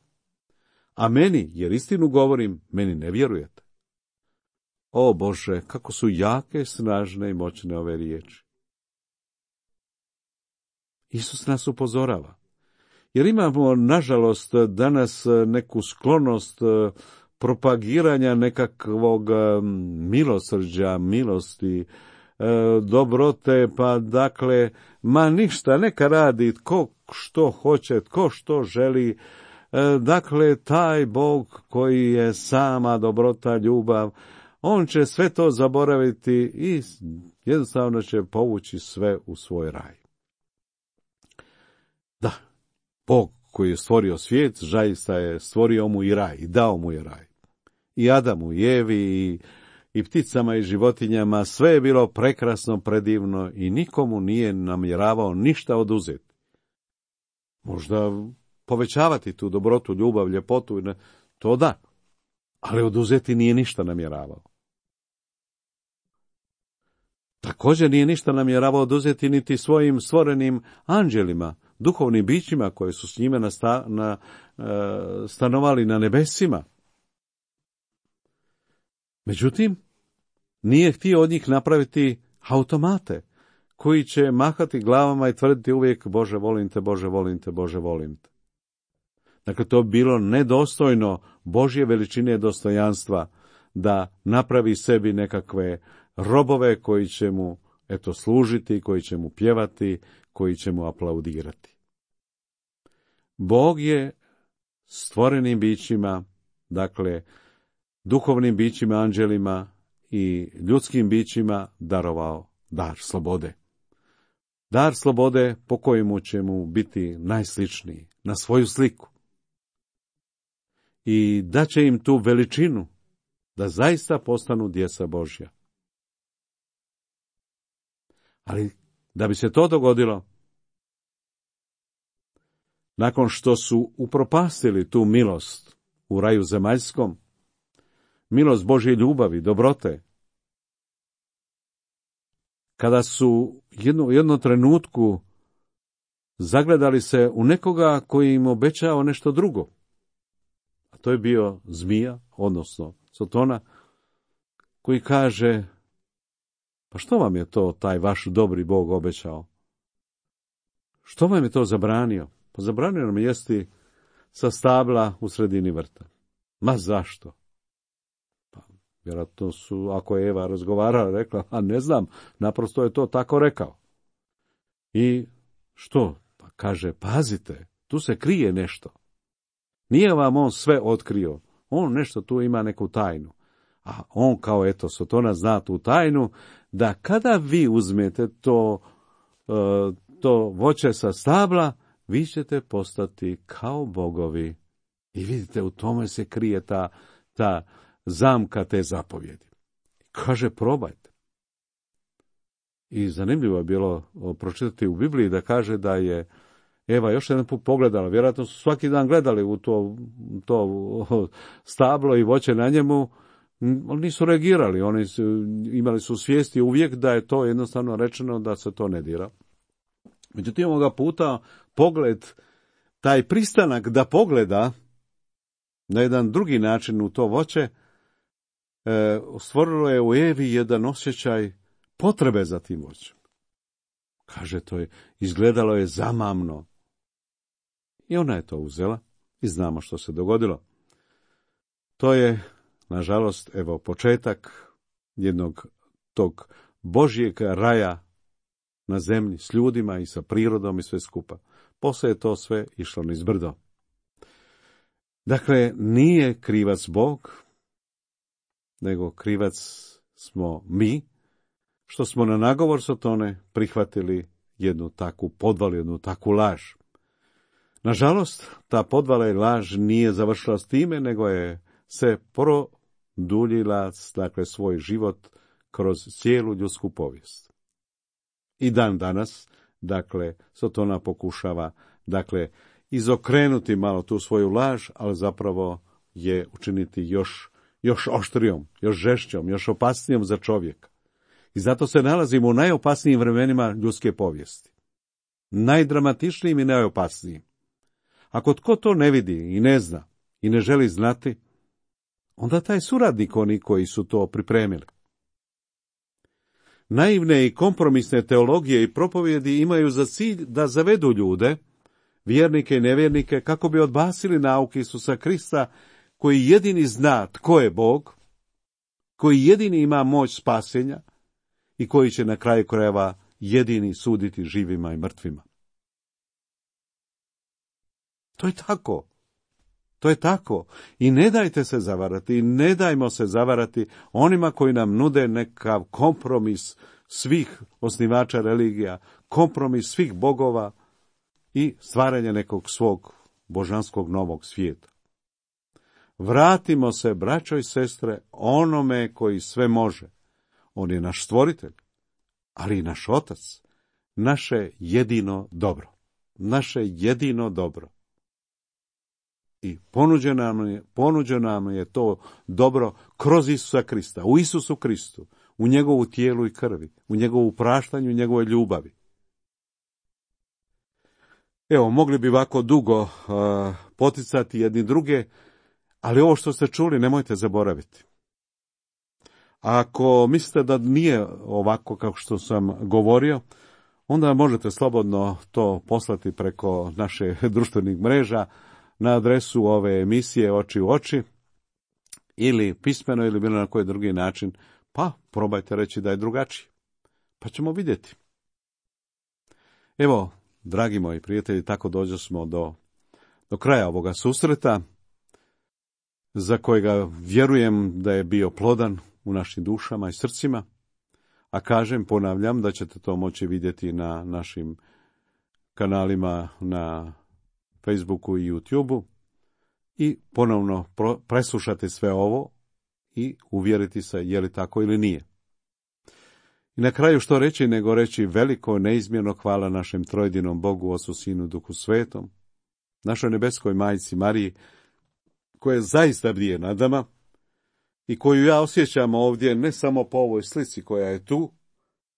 Speaker 3: A meni, jer istinu govorim, meni ne vjerujete. O Bože, kako su jake, snažne i moćne ove riječi. Isus nas upozorava, jer imamo, nažalost, danas neku sklonost propagiranja nekakvog milosrđa, milosti, dobrote, pa dakle, ma ništa, neka radi tko što hoće, tko što želi. Dakle, taj Bog koji je sama dobrota, ljubav, on će sve to zaboraviti i jednostavno će povući sve u svoj raj. Da, Bog koji je stvorio svijet, zaista je stvorio mu i raj, i dao mu je raj. I Adamu, i Evi, i, i pticama, i životinjama, sve je bilo prekrasno, predivno i nikomu nije namjeravao ništa oduzeti. možda povećavati tu dobrotu, ljubav, ljepotu, to da, ali oduzeti nije ništa namjeravao. Također nije ništa namjeravao oduzeti niti svojim stvorenim anđelima, duhovnim bićima koji su s njime nasta, na, e, stanovali na nebesima. Međutim, nije htio od njih napraviti automate koji će mahati glavama i tvrditi uvijek Bože volim te, Bože volim te, Bože volim te. Dakle, to je bilo nedostojno Božje veličine dostojanstva da napravi sebi nekakve robove koji će mu eto služiti, koji će mu pjevati, koji će mu aplaudirati. Bog je stvorenim bićima, dakle, duhovnim bićima, anđelima i ljudskim bićima darovao dar slobode. Dar slobode po kojemu će mu biti najsličniji, na svoju sliku. I daće im tu veličinu da zaista postanu djeca Božja. Ali da bi se to dogodilo, nakon što su upropastili tu milost u raju zemaljskom, milost Božje ljubavi, dobrote, kada su jednu, jednom trenutku zagledali se u nekoga koji im obećao nešto drugo, a to je bio zmija, odnosno Sotona, koji kaže, pa što vam je to taj vaš dobri Bog obećao? Što vam je to zabranio? Pa zabranio nam jesti sa stabla u sredini vrta. Ma zašto? Pa vjerojatno su, ako je Eva razgovarala, rekla, a ne znam, naprosto je to tako rekao. I što? Pa kaže, pazite, tu se krije nešto. Nije vam on sve otkrio, on nešto tu ima neku tajnu. A on kao eto, Sotona zna tu tajnu, da kada vi uzmete to, to voće sa stabla, vi ćete postati kao bogovi. I vidite, u tome se krije ta, ta zamka te zapovjedi. Kaže, probajte. I zanimljivo je bilo pročitati u Bibliji da kaže da je Eva još jedan put pogledala, vjerojatno su svaki dan gledali u to, to stablo i voće na njemu, ali nisu reagirali, oni su, imali su svijesti uvijek da je to jednostavno rečeno da se to ne dira. Međutim, ovoga puta pogled, taj pristanak da pogleda na jedan drugi način u to voće, e, stvorilo je u Evi jedan osjećaj potrebe za tim voćem. Kaže, to je, izgledalo je zamamno. I ona je to uzela i znamo što se dogodilo. To je, nažalost, evo početak jednog tog Božjeg raja na zemlji s ljudima i sa prirodom i sve skupa. Poslije je to sve išlo niz brdo. Dakle, nije krivac Bog, nego krivac smo mi, što smo na nagovor Sotone prihvatili jednu takvu podvalu, jednu takvu laž. Nažalost, ta podvala i laž nije završila s time, nego je se produljila, dakle, svoj život kroz cijelu ljudsku povijest. I dan danas, dakle, Sotona pokušava, dakle, izokrenuti malo tu svoju laž, ali zapravo je učiniti još, još oštrijom, još žešćom, još opasnijom za čovjeka. I zato se nalazimo u najopasnijim vremenima ljudske povijesti. Najdramatičnijim i najopasnijim. Ako tko to ne vidi i ne zna i ne želi znati, onda taj suradnik oni koji su to pripremili. Naivne i kompromisne teologije i propovjedi imaju za cilj da zavedu ljude, vjernike i nevjernike, kako bi odbacili nauku Isusa Krista, koji jedini zna tko je Bog, koji jedini ima moć spasenja i koji će na kraju krajeva jedini suditi živima i mrtvima. To je tako. To je tako. I ne dajte se zavarati, i ne dajmo se zavarati onima koji nam nude nekav kompromis svih osnivača religija, kompromis svih bogova i stvaranje nekog svog božanskog novog svijeta. Vratimo se, braćo i sestre, onome koji sve može. On je naš stvoritelj, ali i naš otac, naše jedino dobro. naše jedino dobro. I ponuđeno nam je, ponuđeno nam je to dobro kroz Isusa Krista, u Isusu Kristu, u njegovu tijelu i krvi, u njegovu praštanju i njegovoj ljubavi. Evo, mogli bi ovako dugo uh, poticati jedni druge, ali ovo što ste čuli nemojte zaboraviti. Ako mislite da nije ovako kao što sam govorio, onda možete slobodno to poslati preko naše društvenih mreža na adresu ove emisije Oči u oči, ili pismeno ili bilo na koji drugi način, pa probajte reći da je drugačiji. Pa ćemo vidjeti. Evo, dragi moji prijatelji, tako dođe smo do, do kraja ovoga susreta, za kojega vjerujem da je bio plodan u našim dušama i srcima, a kažem, ponavljam, da ćete to moći vidjeti na našim kanalima na Facebooku i YouTubeu i ponovno preslušati sve ovo i uvjeriti se je li tako ili nije. I na kraju što reći nego reći veliko neizmjerno hvala našem trojedinom Bogu, Ocu, Sinu, Duhu Svetom, našoj nebeskoj majci Mariji, koja zaista bdije nad nama i koju ja osjećam ovdje ne samo po ovoj slici koja je tu,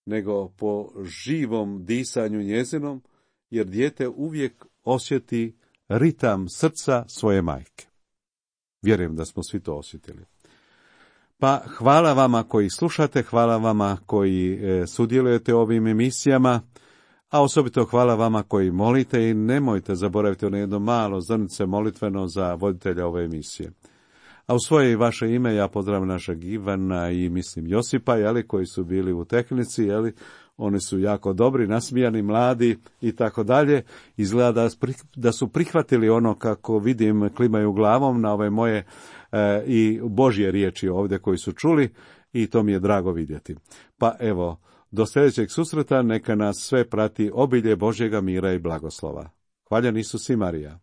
Speaker 3: nego po živom disanju njezinom, jer dijete uvijek osjeti ritam srca svoje majke. Vjerujem da smo svi to osjetili. Pa hvala vama koji slušate, hvala vama koji e, sudjelujete u ovim emisijama, a osobito hvala vama koji molite i nemojte zaboraviti ono jedno malo zrnce molitveno za voditelja ove emisije. A u svoje i vaše ime ja pozdravljam našeg Ivana i mislim Josipa, jeli, koji su bili u tehnici, jeli, oni su jako dobri, nasmijani, mladi i tako dalje. Izgleda da su prihvatili ono, kako vidim, klimaju glavom na ove moje e, i Božje riječi ovdje koji su čuli i to mi je drago vidjeti. Pa evo, do sljedećeg susreta neka nas sve prati obilje Božjega mira i blagoslova. Hvaljen Isus i Marija.